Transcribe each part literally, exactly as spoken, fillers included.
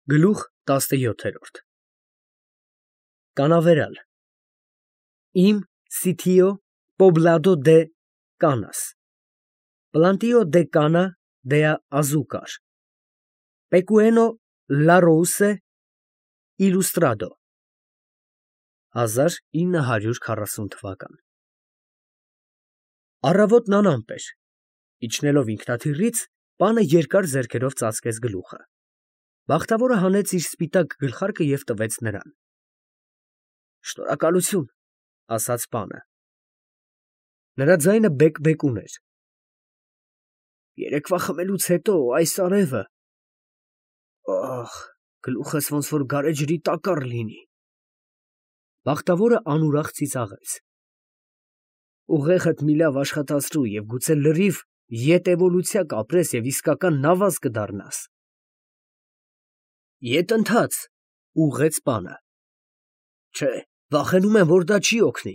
Գլուխ տասնյոթերորդ Կանավերալ Իմ sitio poblado de canas plantio de cana de azúcar pequeño la rose ilustrado հազար ինը հարյուր քառասուն թվական Առավոտն անամպ էր իջնելով ինքնաթիռից պանը երկար ձեռքերով ծածկեց գլուխը Բախտավորը հանեց իր սպիտակ գլխարկը և տվեց նրան։ Շնորհակալություն, ասաց պանը։ Նրա ձայնը բեկ֊բեկուն էր։ Երեկվա խմելուց հետո այս արևը, ախ, գլուխս ոնց որ գարեջրի տակառ լինի։ Բախտավորը անուրախ ծիծաղեց։ Ուղեղդ մի լավ աշխատացրու և գուցե լրիվ ետ էվոլյուցիա կապրես և իսկական նավազ կդառնաս։ Ետ ընթաց, ուղղեց պանը։ Չէ, վախենում եմ, որ դա չի օգնի։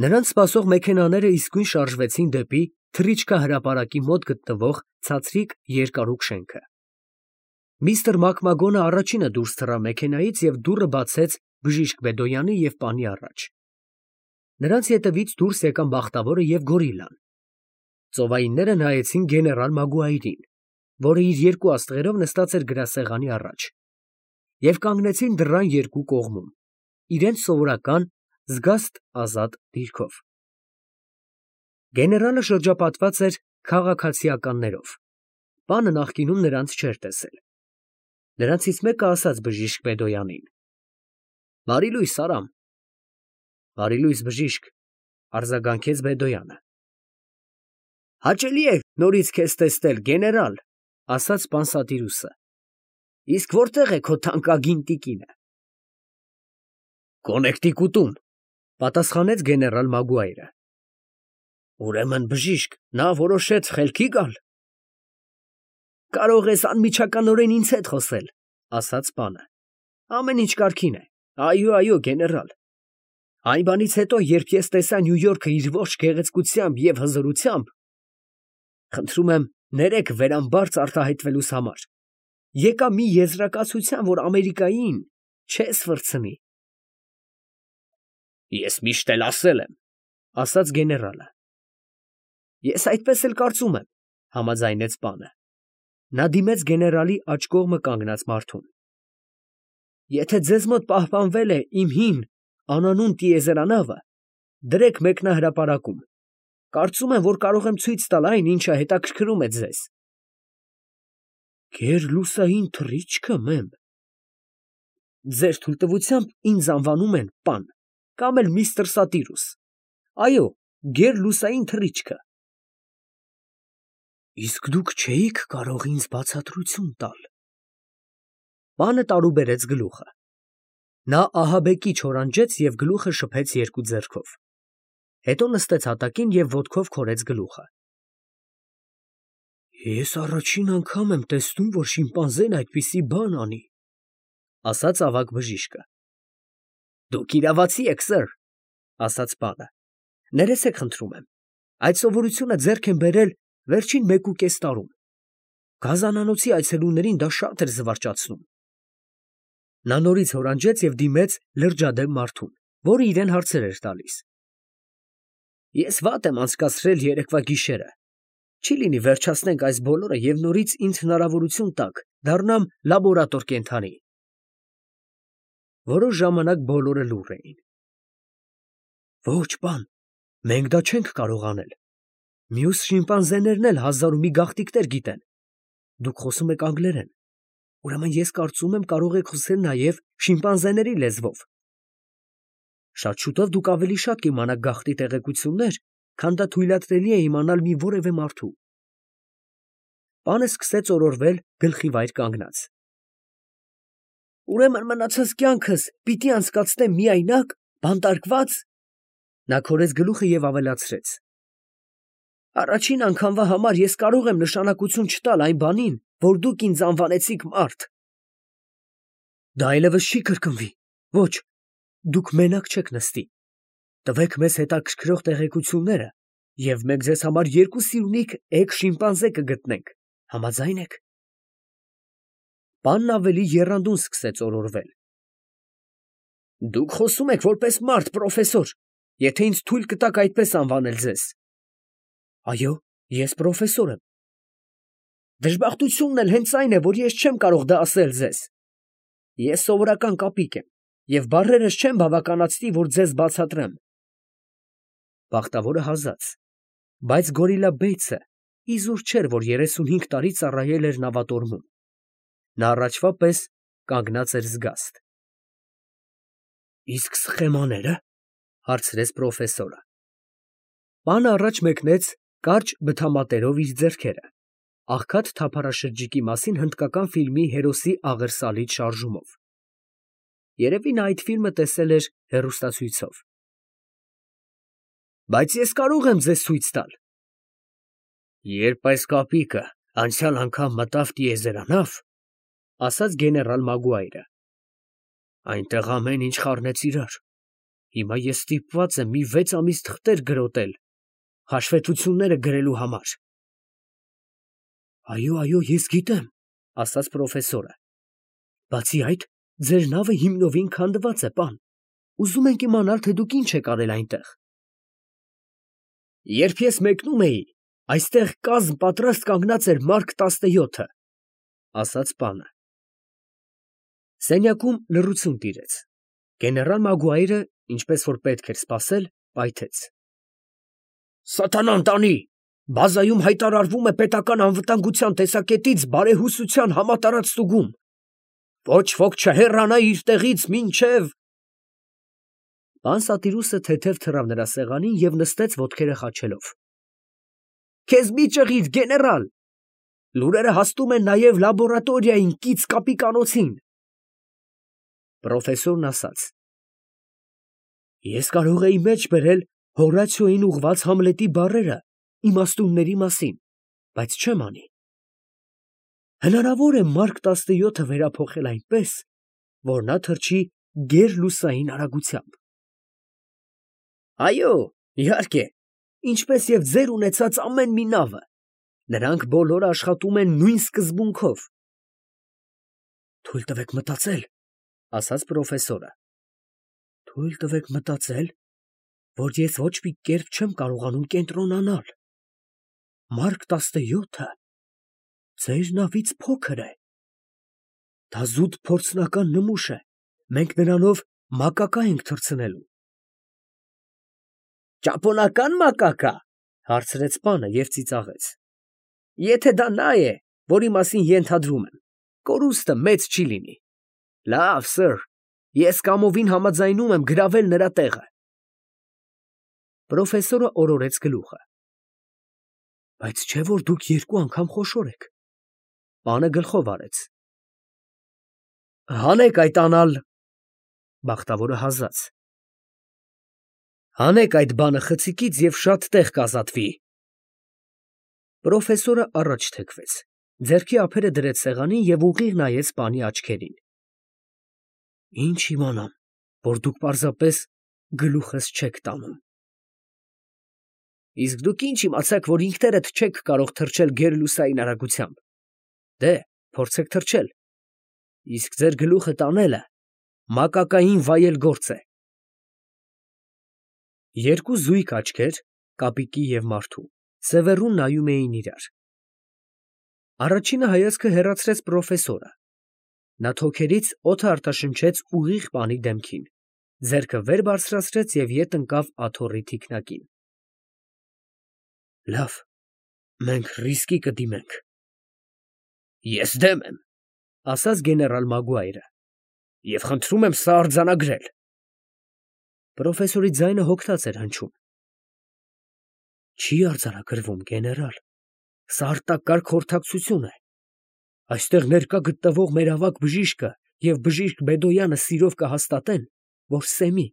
Նրանց սպասող մեքենաները իսկույն շարժվեցին դեպի թռիչքը հրապարակի մոտ գտնվող ցածրիկ երկարուկ շենքը։ Միստր Մակմագոնը առաջինը դուրս թռավ մեքենայից և դուռը բացեց բժիշկ Բեդոյանի և պանի առաջ։ Նրանց ետևից դուրս եկան Բախտավորը և Գորիլլան։ Ծովայինները նայեցին գեներալ Մագուայրին, որը իր երկու աստղերով նստած էր գրասեղանի առաջ, և կանգնեցին դռան երկու կողմում, իրենց սովորական զգաստ ազատ դիրքով։ Գեներալը շրջապատված էր քաղաքացիականներով, պանը նախկինում նրանց չէր տեսել։ Նրանցից մեկը ասաց բժիշկ Բեդոյանին. Բարի լույս, Արամ։ Բարի լույս, բժիշկ, արձագանքեց Բեդոյանը։ Հաճելի է նորից քեզ տեսնել, գեներալ, ասաց Պանսատիրուսը։ Իսկ որտեղ է քո թանկագին տիկինը։ Կոնեկտիկուտում, պատասխանեց գեներալ Մագուայրը։ Ուրեմն, բժիշկ, նա որոշեց խելքի գալ։ Կարող ես անմիջականորեն ինձ հետ խոսել, ասաց պանը։ Ամեն ինչ կարգին է։ Այո, այո, գեներալ։ Այն բանից հետո, երբ ես տեսա Նյու Յորքը իր ողջ գեղեցկությամբ և հզորությամբ, խնդրում եմ, ներեք վերամբարձ արտահայտվելուս համար, եկա մի եզրակացության, որ Ամերիկային չես վրձնի։ Ես միշտ էլ ասել եմ, ասաց գեներալը։ Ես այդպես էլ կարծում եմ, համաձայնեց պանը։ Նա դիմեց գեներալի աջ կողմը կանգնած մարդուն։ Եթե ձեզ մոտ պահպանվել է իմ հին անանուն տիեզերանավը, դրեք մեկնահրապարակում։ Կարծում եմ, որ կարող եմ ցույց տալ այն, ինչը հետաքրքրում է ձեզ։ Գերլուսային թռիչքը, մեմ։ Ձեր թույլտվությամբ ինձ անվանում են պան, կամ էլ միստր Սատիրուս։ Այո, գերլուսային թռիչքը։ Իսկ դուք չէիք կարող ինձ բացատրություն տալ։ Պանը տարուբերեց գլուխը։ Նա ահաբեկիչ հորանջեց և գլուխը շփեց երկու ձեռքով։ Հետո նստեց հատակին և ոտքով քորեց գլուխը։ Ես առաջին անգամ եմ տեսնում, որ շիմպանզեն այդպիսի բան անի, ասաց ավագ բժիշկը։ Դուք իրավացի եք, սըր, ասաց պանը։ Ներեցեք, խնդրում եմ։ Այդ սովորությունը ձեռք եմ բերել վերջին մեկուկես տարում։ Գազանանոցի այցելուներին դա շատ էր զվարճացնում։ Նա նորից հորանջեց և դիմեց լրջադեմ մարդուն, որը իրան հարցեր էր տալիս։ Ես վատ եմ անցկացրել երեկվա գիշերը։ Չի լինի վերջացնենք այս բոլորը և նորից ինձ հնարավորություն տաք դառնամ լաբորատոր կենդանի։ Որոշ ժամանակ բոլորը լուռ էին։ Ոչ, պան, մենք դա չենք կարող անել։ Մյուս շիմպանզեներն էլ հազար ու մի գաղտնիքներ գիտեն։ Դուք խոսում եք անգլերեն։ Ուրեմն ես կարծում եմ կարող եք խոսել նաև շիմպանզեների լեզվով։ Շատ շուտով դուք ավելի շատ կիմանաք գաղտնի տեղեկություններ, քան դա թույլատրելի է իմանալ մի որևէ մարդու։ Պանը սկսեց օրորվել գլխի վայր կանգնած։ Ուրեմն մնացած կյանքս պիտի անցկացնեմ միայնակ, բանտարկված։ Նա քորեց գլուխը և ավելացրեց. Առաջին անգամվա համար ես կարող եմ նշանակություն չտալ այն բանին, որ դուք ինձ անվանեցիք մարդ։ Դա այլևս չի կրկնվի։ Ոչ, դուք մենակ չեք նստի։ Տվեք մեզ հետաքրքրող տեղեկությունները, և մենք ձեզ համար երկու սիրունիկ էգ շիմպանզե կգտնենք։ Համաձայն եք։ Պանն ավելի եռանդուն սկսեց օրորվել։ Դուք խոսում եք որպես մարդ, պրոֆեսոր, եթե ինձ թույլ կտաք այդպես անվանել ձեզ։ Այո, ես պրոֆեսոր եմ։ Դժբախտությունն էլ հենց այն է, որ ես չեմ կարող դա ասել ձեզ։ Ես սովորական կապիկ եմ, և բառերս չեմ բավականացնի, որ ձեզ բացատրեմ։ Բախտավորը հազաց, բայց Գորիլլա Բեյցը իզուր չէր, որ երեսունհինգ տարի ծառայել էր նավատորմում։ Նա առաջվա պես կանգնած էր զգաստ։ Իսկ սխեմանե՞րը, հարցրեց պրոֆեսորը։ Պանը առաջ մեկնեց կարճ բթամատերով իր ձեռքերը, աղքատ թափառաշրջիկի մասին հնդկական ֆիլմի հերոսի աղերսալից շարժումով։ Երևի նա այդ ֆիլմը տեսել էր հեռուստացույցով։ Բայց ես կարող եմ ձեզ ցույց տալ։ Երբ այս կապիկը անցյալ անգամ մտավ տիեզերանավ, ասաց գեներալ Մագուայրը, այնտեղ ամեն ինչ խառնեց իրար։ Հիմա ես ստիպված եմ մի վեց ամիս թղթեր գրոտել, հաշվետվությունները գրելու համար։ Այո, այո, ես գիտեմ, ասաց պրոֆեսորը։ Բացի այդ, ձեր նավը հիմնովին քանդված է, պան։ Ուզում ենք իմանալ, թե դուք ինչ եք արել այնտեղ։ Երբ ես մեկնում էի, այստեղ կազմ պատրաստ կանգնած էր Մարկ տասնյոթը, ասաց պանը։ Սենյակում լռություն տիրեց։ Գեներալ Մագուայրը, ինչպես որ պետք էր սպասել, պայթեց. Սատանան տանի, բազայում հայտարարվում է պետական անվտանգության տեսակետից բարեհուսության համատարած ստուգում։ Ոչ ոք չհեռանա իր տեղից մինչև… Պան Սատիրուսը թեթև թռավ նրա սեղանին և նստեց ոտքերը խաչելով։ Քեզ մի ճղիր, գեներալ, լուրերը հասնում են նաև լաբորատորիային կից կապիկանոցին։ Պրոֆեսորն ասաց. Ես կարող էի մեջ բերել Հորացիոյին ուղղված Համլետի բառերը իմաստունների մասին, բայց չեմ անի։ Հնարավոր է Մարկ տասնյոթը վերափոխել այնպես, որ նա թռչի գերլուսային արագությամբ։ Այո, իհարկե, ինչպես և ձեր ունեցած ամեն մի նավը, նրանք բոլորը աշխատում են նույն սկզբունքով։ Թույլ տվեք մտածել, ասաց պրոֆեսորը։ Թույլ տվեք մտածել, որ ես ոչ մի կերպ չեմ կարողանում կենտրոնանալ։ Մարկ տասնյոթը ձեր նավից փոքր է։ Դա զուտ փորձնական նմուշ է, մենք նրանով մակակա ենք թռցնելու։ Ճապոնական մակակա, հարցրեց պանը և ծիծաղեց։ Եթե դա նա է, որի մասին ենթադրում եմ, կորուստը մեծ չի լինի։ Լավ, սըր, ես կամովին համաձայնում եմ գրավել նրա տեղը։ Պրոֆեսորը օրորեց գլուխը։ Բայց չէ՞ որ դուք երկու անգամ խոշոր եք։ Պանը գլխով արեց։ Հանեք այդ անալ… Բախտավորը հազաց։ Հանեք այդ բանը խցիկից և շատ տեղ կազատվի։ Պրոֆեսորը առաջ թեքվեց, ձեռքի ափերը դրեց սեղանին և ուղիղ նայեց պանի աչքերին։ Ինչ իմանամ, որ դուք պարզապես գլուխս չեք տանում։ Իսկ դուք ինչ իմացաք, որ ինքներդ չեք կարող թռչել գերլուսային արագությամբ։ Դե, փորձեք թռչել։ Իսկ ձեր գլուխը տանելը մակակային վայել գործ է։ Երկու զույգ աչքեր, կապիկի և մարդու, սևեռուն նայում էին իրար։ Առաջինը հայացքը հեռացրեց պրոֆեսորը։ Նա թոքերից օդը արտաշնչեց ուղիղ պանի դեմքին, ձեռքը վեր բարձրացրեց և ետ ընկավ աթոռի թիկնակին։ Լավ, մենք ռիսկի կդիմենք։ Ես դեմ եմ, ասաց գեներալ Մագուայրը, և խնդրում եմ սա արձանագրել։ Պրոֆեսորի ձայնը հոգնած էր հնչում։ Չի արձանագրվում, գեներալ, սա արտակարգ խորհրդակցություն է։ Այստեղ ներկա գտնվող մեր ավագ բժիշկը և բժիշկ Բեդոյանը սիրով կհաստատեն, որ Սեմի,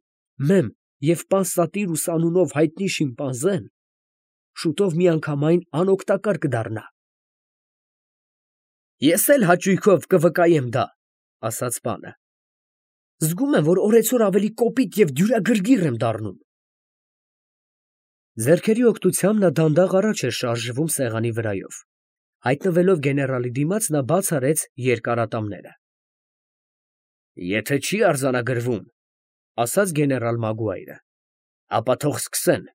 Մեմ և պան Սատիրուս անունով հայտնի շիմպանզեն շուտով միանգամայն անօգտակար կդառնա։ Ես էլ հաճույքով կվկայեմ դա, ասաց պանը։ Զգում եմ, որ օրեցօր ավելի կոպիտ և դյուրագրգիռ եմ դառնում։ Ձեռքերի օգնությամբ նա դանդաղ առաջ էր շարժվում սեղանի վրայով, Հայտնվելով գեներալի դիմաց, նա բաց արեց երկարատամները։ Եթե չի արձանագրվում, ասաց գեներալ Մագուայրը, ապա թող սկսեն։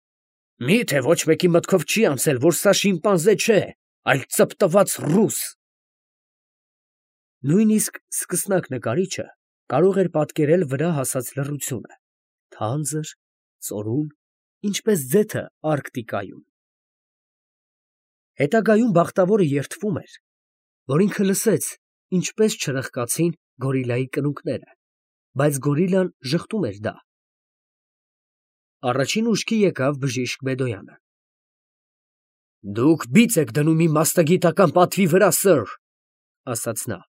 Մի՞թե ոչ մեկի մտքով չի անցել, որ սա շիմպանզե չէ, այլ ծպտված ռուս։ Նույնիսկ սկսնակ նկարիչը կարող էր պատկերել վրա հասած լռությունը, թանձր, ծորուն, ինչպես ձեթը Արկտիկայում։ Հետագայում բախտավորը երդվում էր, որ ինքը լսեց, ինչպես չրխկացին գորիլայի կնունկները, բայց գորիլան ժխտում էր դա։ Առաջին ուշքի եկավ բժիշկ Բեդոյանը։ Դուք բիծ եք դնում իմ մասնագիտական պատվի վրա, սըր, ասաց նա։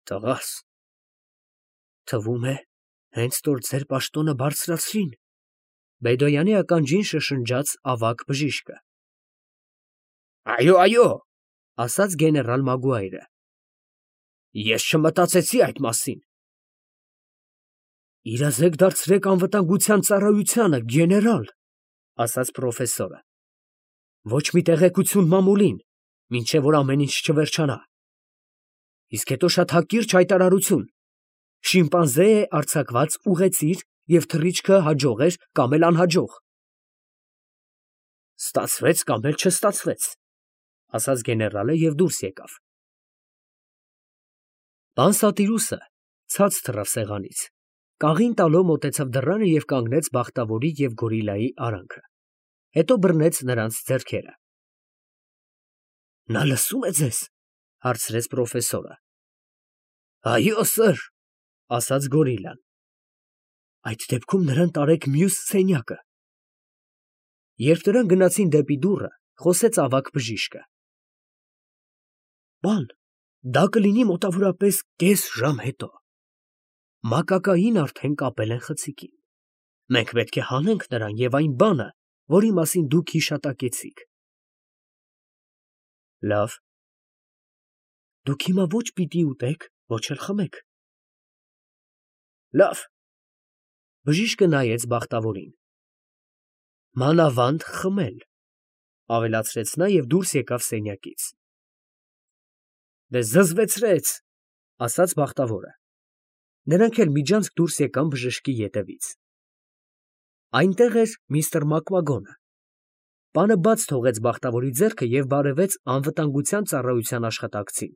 Տղաս, թվում է, հենց որ ձեր պաշտոնը բարձրացրին, Բեդոյանի ականջին շշնջաց ավագ բժիշկը։ Այո, այո, ասաց գեներալ Մագուայրը։ Ես չմտածեցի այդ մասին։ Իրազեկ դարձրեք անվտանգության ծառայությանը, գեներալ, ասաց պրոֆեսորը։ Ոչ մի տեղեկություն մամուլին, մինչև որ ամեն ինչ չվերջանա։ Իսկ հետո շատ հակիրճ հայտարարություն։ Շիմպանզե է արձակված ուղեծիր և թռիչքը հաջող էր կամ էլ անհաջող։ Ստացվեց կամ էլ չստացվեց, ասաց գեներալը և դուրս եկավ։ Պան Սատիրուսը ցած թռավ սեղանից, կաղին տալով մոտեցավ դռանը և կանգնեց բախտավորի և գորիլայի արանքը, հետո բռնեց նրանց ձեռքերը։ Նա լսում է ձեզ, հարցրեց պրոֆեսորը։ Այո, սըր, ասաց գորիլան։ Այդ դեպքում նրան տարեք մյուս սենյակը։ Երբ նրանք գնացին դեպի դուռը, խոսեց ավագ բժիշկը։ Պան, դա կլինի մոտավորապես կես ժամ հետո։ Մակակային արդեն կապել են խցիկին։ Մենք պետք է հանենք նրան և այն բանը, որի մասին դուք հիշատակեցիք։ Լավ։ Դուք հիմա ոչ պիտի ուտեք, ոչ էլ խմեք։ Լավ։ Բժիշկը նայեց բախտավորին։ Մանավանդ խմել, ավելացրեց նա և դուրս եկավ սենյակից։ Դե զզվեցրեց, ասաց բախտավորը։ Նրանք էլ միջանցք դուրս եկան բժշկի ետևից։ Այնտեղ էր միստր Մակմագոնը։ Պանը բաց թողեց բախտավորի ձեռքը և բարևեց անվտանգության ծառայության աշխատակցին։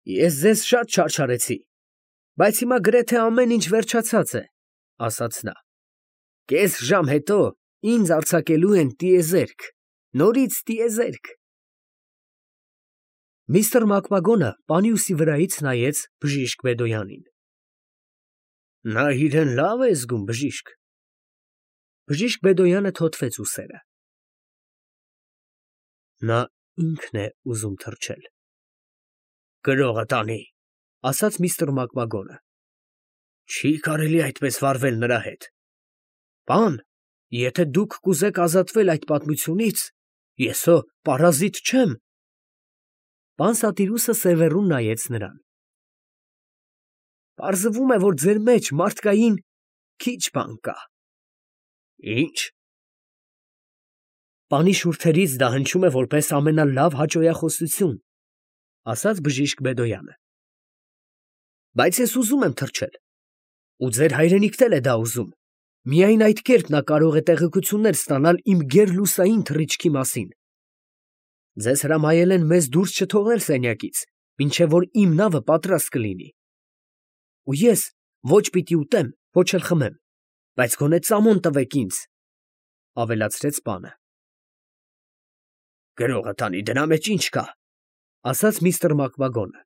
Ես ձեզ շատ չարչարեցի, բայց հիմա գրեթե ամեն ինչ վերջացած է, ասաց նա։ Կես ժամ հետո ինձ արձակելու են տիեզերք, նորից տիեզերք։ Միստր Մակմագոնը պանի ուսի վրայից նայեց բժիշկ Բեդոյանին։ Նա իրեն լավ է զգում, բժիշկ։ Բժիշկ Բեդոյանը թոթվեց ուսերը։ Նա ինքն է ուզում թռչել։ Գրողը տանի, ասաց միստր Մակմագոնը։ Չի կարելի այդպես վարվել նրա հետ։ Պան, եթե դուք կուզեք ազատվել այդ պատմությունից, ես հո պարազիտ չեմ։ Պան Սատիրուսը սևեռուն նայեց նրան։ Պարզվում է, որ ձեր մեջ մարդկային քիչ բան կա։ Ինչ։ Պանի շուրթերից դա հնչում է որպես ամենալավ հաճոյախոսություն, ասաց բժիշկ Բեդոյանը։ Բայց ես ուզում եմ թռչել, ու ձեր հայրենիքն էլ է դա ուզում։ Միայն այդ կերպ նա կարող է տեղեկություններ ստանալ իմ գերլուսային թռիչքի մասին։ Ձեզ հրամայել են մեզ դուրս չթողնել սենյակից, մինչև որ իմ նավը պատրաստ կլինի։ Ու ես ոչ պիտի ուտեմ, ոչ էլ խմեմ, բայց գոնե ծամոն տվեք ինձ, ավելացրեց պանը։ Գրողը տանի, դրա մեջ ինչ կա, ասաց միստր Մակմագոնը։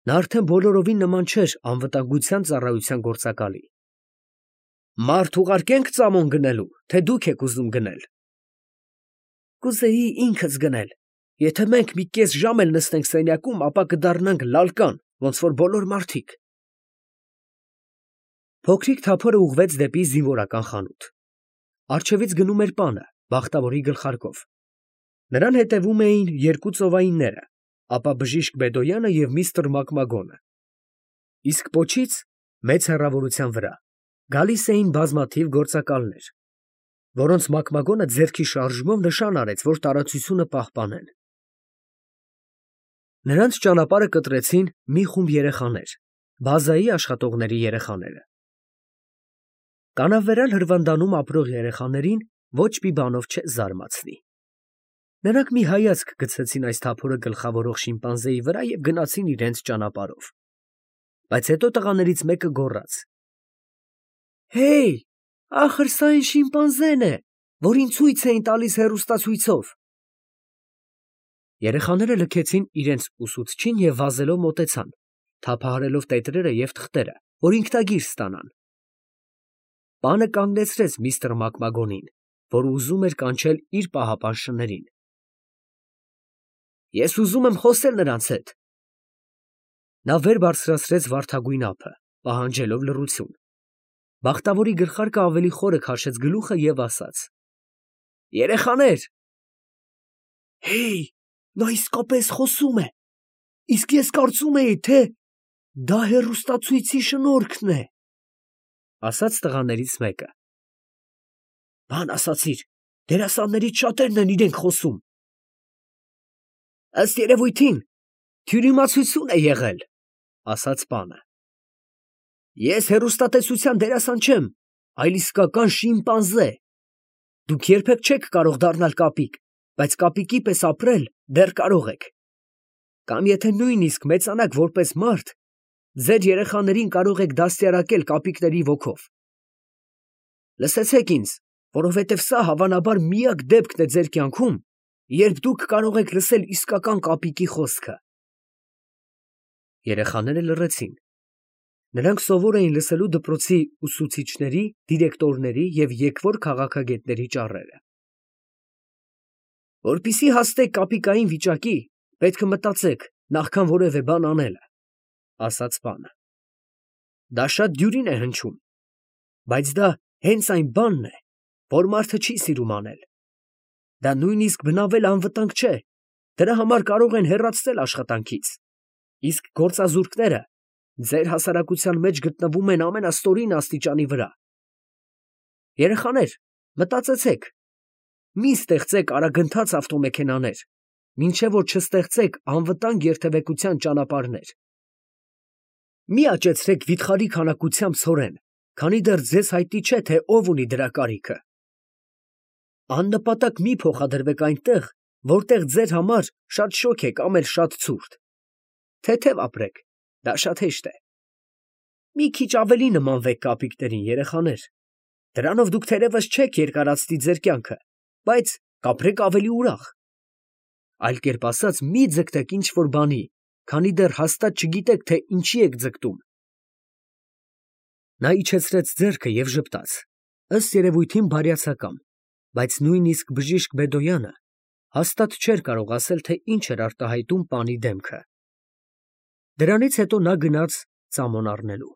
Նա արդեն բոլորովին նման չէր անվտանգության ծառայության գործակալի։ Մարդ ուղարկենք ծամոն գնելու, թե դուք եք ուզում գնել։ Կուզեի ինքս գնել։ Եթե մենք մի կես ժամ էլ նստենք սենյակում, ապա կդառնանք լալկան, ոնց որ բոլոր մարդիկ։ Փոքրիկ թափորը ուղղվեց դեպի զինվորական խանութ։ Առջևից գնում էր պանը, բախտավորի գլխարկով։ Նրան հետևում էին երկու ծովայինները, ապա բժիշկ Բեդոյանը և միստր Մակմագոնը։ Իսկ պոչից, մեծ հեռավորության վրա, գալիս էին բազմաթիվ գործակալներ։ որոնց մակմագոնը ձեռքի շարժումով նշան արեց, որ տարածությունը պահպանեն։ Նրանց ճանապարհը կտրեցին մի խումբ երեխաներ, բազայի աշխատողների երեխաները։ Կանավերալ հրվանդանում ապրող երեխաներին ոչ մի բանով չես զարմացնի։ Նրանք մի հայացք գցեցին այս թափորը գլխավորող շիմպանզեի վրա և գնացին իրենց ճանապարհով։ Բայց հետո տղաներից մեկը գոռաց. «Հեյ, ախր սա այն շիմպանզեն է, որին ցույց էին տալիս հեռուստացույցով»։ Երեխաները լքեցին իրենց ուսուցչին և վազելով մոտեցան, թափահարելով տետրերը և թղթերը, որ ինքնագիր ստանան։ Պանը կանգնեցրեց միստր Մակմագոնին, որ ուզում էր կանչել իր պահապան շներին։ «Ես ուզում եմ խոսել նրանց հետ»։ Նա վեր բարձրացրեց վարդագույն ափը, պահանջելով լռություն։ Բախտավորի գլխարկը ավելի խորը քաշեց գլուխը և ասաց. «Երեխաներ»։ «Հեյ, նա իսկապես խոսում է, իսկ ես կարծում էի, թե դա հեռուստացույցի շնորհքն է», ասաց տղաներից մեկը։ «Բան ասացիր, դերասաններից շատերն են իրենք խոսում»։ «Ըստ երևույթին, թյուրիմացություն է եղել», ասաց պանը։ «Ես հեռուստատեսության դերասան չեմ, այլ իսկական շիմպանզե։ Դուք երբեք չեք կարող դառնալ կապիկ, բայց կապիկի պես ապրել դեռ կարող եք։ Կամ եթե նույնիսկ մեծանաք որպես մարդ, ձեր երեխաներին կարող եք դաստիարակել կապիկների ոգով։ Լսեցեք ինձ, որովհետև սա հավանաբար միակ դեպքն է ձեր կյանքում, երբ դուք կարող եք լսել իսկական կապիկի խոսքը»։ Երեխաները լռեցին։ Նրանք սովոր էին լսելու դպրոցի ուսուցիչների, դիրեկտորների և եկվոր քաղաքագետների ճառերը։ «Որպեսզի հասնեք կապիկային վիճակի, պետք է մտածեք, նախքան որևէ բան անելը», ասաց պանը։ «Դա շատ դյուրին է հնչում, բայց դա հենց այն բանն է, որ մարդը չի սիրում անել։ Դա նույնիսկ բնավել անվտանգ չէ, դրա համար կարող են հեռացնել աշխատանքից, իսկ գործազուրկները ձեր հասարակության մեջ գտնվում են ամենաստորին աստիճանի վրա։ Երեխաներ, մտածեցեք, մի ստեղծեք արագընթաց ավտոմեքենաներ, մինչև որ չստեղծեք անվտանգ երթևեկության ճանապարհներ։ Մի աճեցրեք վիթխարի քանակությամբ ցորեն, քանի դեռ ձեզ հայտնի չէ, թե ով ունի դրա կարիքը։ Աննպատակ մի փոխադրվեք այնտեղ, որտեղ ձեր համար շատ շոգ է կամ էլ շատ ցուրտ։ Թեթև ապրեք, դա շատ հեշտ է։ Մի քիչ ավելի նմանվեք կապիկներին, երեխաներ։ Դրանով դուք թերևս չեք երկարացնի ձեր կյանքը, բայց կապրեք ավելի ուրախ։ Այլ կերպ ասած, մի ձգտեք ինչ֊որ բանի, քանի դեռ հաստատ չգիտեք, թե ինչի եք ձգտում։ Նա իջեցրեց ձեռքը և ժպտաց, ըստ երևույթին բարյացակամ, բայց նույնիսկ բժիշկ Բեդոյանը հաստատ չէր կարող ասել, թե ինչ էր արտահայտում պանի դեմքը։ Դրանից հետո նա գնաց ծամոն առնելու։